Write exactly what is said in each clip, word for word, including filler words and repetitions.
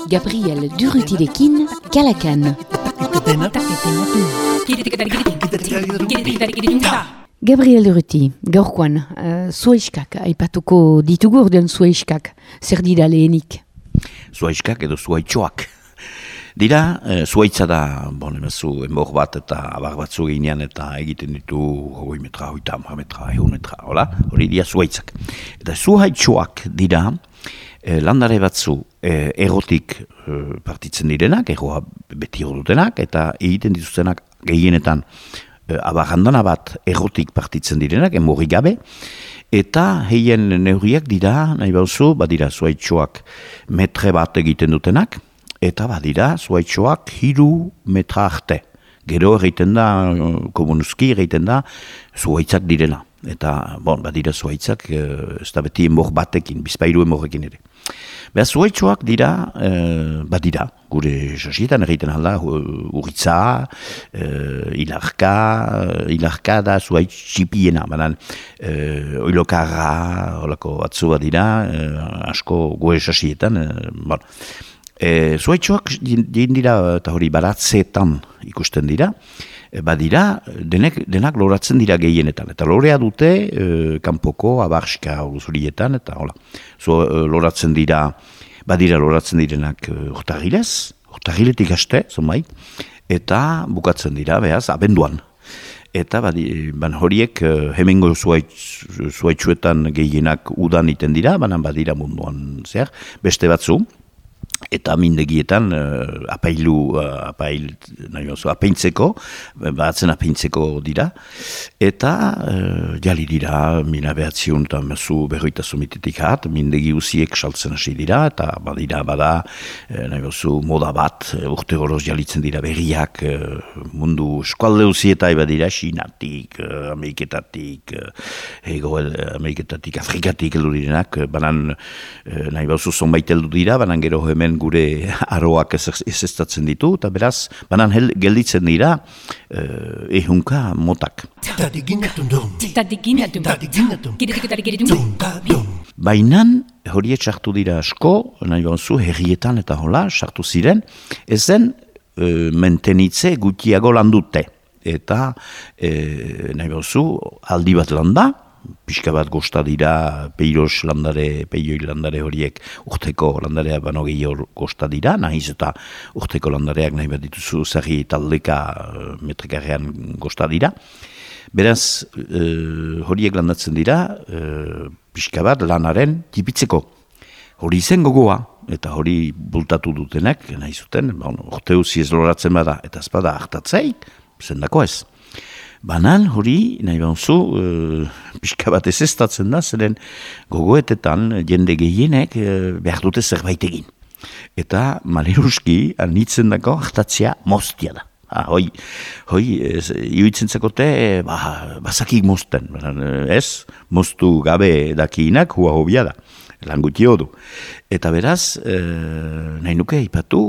Gabriel Durrutirekin, Kalakan. Gabriel Durruti, gaurkoan, uh, zuaiskak, aipatuko ditugu ordean zuaiskak, zer dira lehenik? Zuaiskak edo zuaitxoak. Dira, e, zuaitza da, bon, emazu, enbor bat eta abar batzu ginean eta egiten ditu hogei metra, hogeita hamar metra, ehun metra, hola? Hori dira zuaitzak. Eta zuaitxoak dira, e, landare batzu e, egotik e, partitzen direnak, egoa beti dutenak, eta egiten dituztenak gehienetan e, abarrandana bat egotik partitzen direnak, enborri gabe, eta heien neurriak dira, nahi bauzu, badira zuaitxoak metre bat egiten dutenak, eta badira, zuaitxoak hiru metra arte. Gero egiten da, komunuzki egiten da, zuaitzak direla. Eta, bon, badira zuaitzak, ez da beti enbor batekin, bizpairu enborrekin ere. Beha, zuaitxoak dira, eh, badira, gure sasietan egiten alda, urritza, eh, ilarka, ilarka da zuaitz txipiena, banan, eh, oilokarra, olako batzu badira, eh, asko gure sasietan, eh, bon. E, zuaitxoak dira eta hori baratzeetan ikusten dira, e, badira denek, denak loratzen dira gehienetan. Eta lorea dute e, kanpoko abarska zurietan, eta hola, zo, e, loratzen dira, badira loratzen direnak urtarrilez, urtarriletik haste, zonbait, eta bukatzen dira, behaz, abenduan. Eta badi, ban horiek hemengo zuaitz, zuaitxuetan gehienak udan iten dira, banan badira munduan zer, beste batzu, eta mindegietan uh, apailu, uh, apail, nahi oso, apaintzeko, batzen apaintzeko dira, eta uh, jali dira, mina behatziun eta mezu berroita zumitetik hat, mindegi usiek saltzen hasi dira, eta badira, bada, uh, nahi oso, moda bat, urte horoz jalitzen dira berriak, uh, mundu eskualde usietai badira, Xinatik, uh, Ameriketatik, uh, ego Ameriketatik, Afrikatik heldu direnak, uh, banan, uh, nahi oso zonbait heldu dira, banan gero hemen gure aroak ezestatzen ditu, eta beraz, banan hel, gelditzen dira uh, ehunka motak. Bainan, horiek sartu dira asko, nahi banzu, herrietan eta hola, sartu ziren, ezen uh, mentenitze gutiago landute. Eta, uh, nahi banzu, aldi bat landa, pixka bat gosta dira peiros landare, peioi landare horiek urteko landarea bano gehiago gosta dira, nahiz eta urteko landareak nahi bat dituzu zerri taldeka metrekarrean gosta dira. Beraz, e, horiek landatzen dira, e, pixka bat lanaren tipitzeko. Hori zen gogoa, eta hori bultatu dutenak, nahi zuten, bon, urte uzi ez loratzen bada, eta ez bada hartatzeik, zendako ez. Banan hori, nahi banzu, e, pixka bat ezestatzen da, zeren gogoetetan jende gehienek e, behar dute zerbait egin. Eta maleruski, anitzen dako, hartatzea moztia da. Ha, hoi, hoi, iuitzen zakote, ba, bazakik mozten. Ez, moztu gabe dakiinak, hua hobia da. Lan guti hodu. Eta beraz, e, nahi nuke ipatu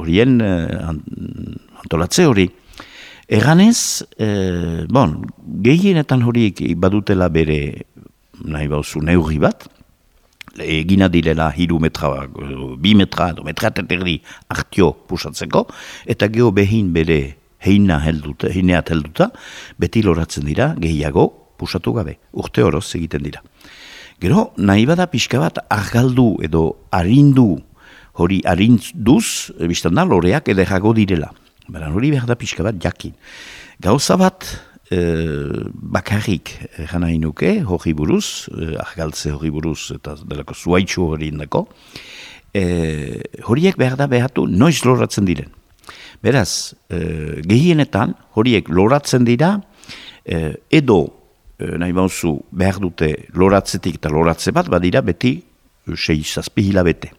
horien e, antolatze hori. Eganez, eh, bon, gehienetan horiek badutela bere, nahi bauzu, neurri bat, egina direla hiru metra, bi metra, do metra teterdi artio pusatzeko, eta geho behin bere heina helduta, heineat helduta, beti loratzen dira gehiago pusatu gabe, urte horoz egiten dira. Gero, nahi bada pixka bat argaldu edo arindu, hori arinduz, biztan da, loreak ederago direla. Baran hori behar da pixka bat jakin. Gauza bat e, bakarrik gana inuke, hori buruz, e, argaltze hori buruz, eta delako zuaitxu hori indako, e, horiek behar da behatu noiz loratzen diren. Beraz, e, gehienetan horiek loratzen dira, e, edo e, nahi bauzu behar dute loratzetik eta loratze bat, badira beti sei zazpi hilabete.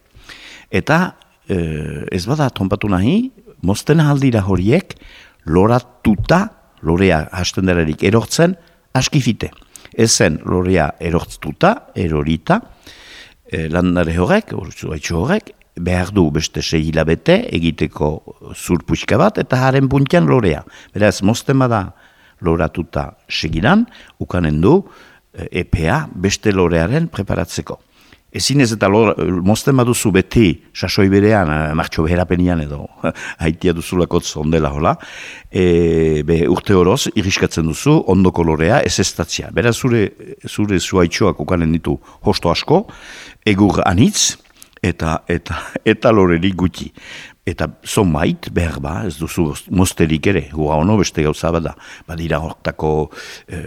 Eta e, ez bada trompatu nahi, mozten ahaldira horiek, loratuta, lorea hasten derarik erortzen, askifite. Ezen lorea erortztuta, erorita, e, landare horrek, zuaitxo horrek, behar du beste sei hilabete egiteko zurpuxka bat, eta haren puntian lorea. Beraz, mozten bada loratuta segidan, ukanen du, epea beste lorearen preparatzeko. Ezin ez eta lor, mozten baduzu beti sasoi berean, martxo beherapenian edo haitia duzulako ondela hola, e, be, urte horoz iriskatzen duzu ondoko lorea ez estatzia. Beraz zure, zure zuaitxoak ukanen ditu hosto asko, egur anitz eta, eta, eta loreri gutxi. Eta zonbait, behar ba, ez duzu mozterik ere, hua ono beste gauza bada. Badira hortako e,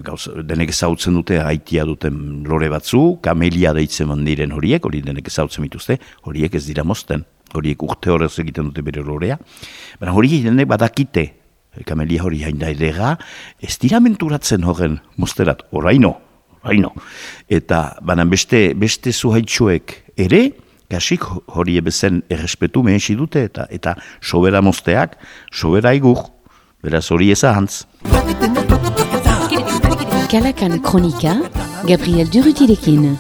gauza, denek ezautzen dute, haitia duten lore batzu, kamelia deitzen diren horiek, hori denek ezautzen mituzte, horiek ez dira mozten, horiek urte horrez egiten dute bere lorea. Baina horiek denek badakite, kamelia hori hain da edera, ez dira menturatzen horren mozterat, oraino, oraino. Eta baina beste, beste zuhaitxoek ere, kasik hori ebezen errespetu mehensi dute eta eta sobera mozteak, sobera igur, beraz hori ezahantz. Kalakan Kronika, Gabriel Durrutirekin.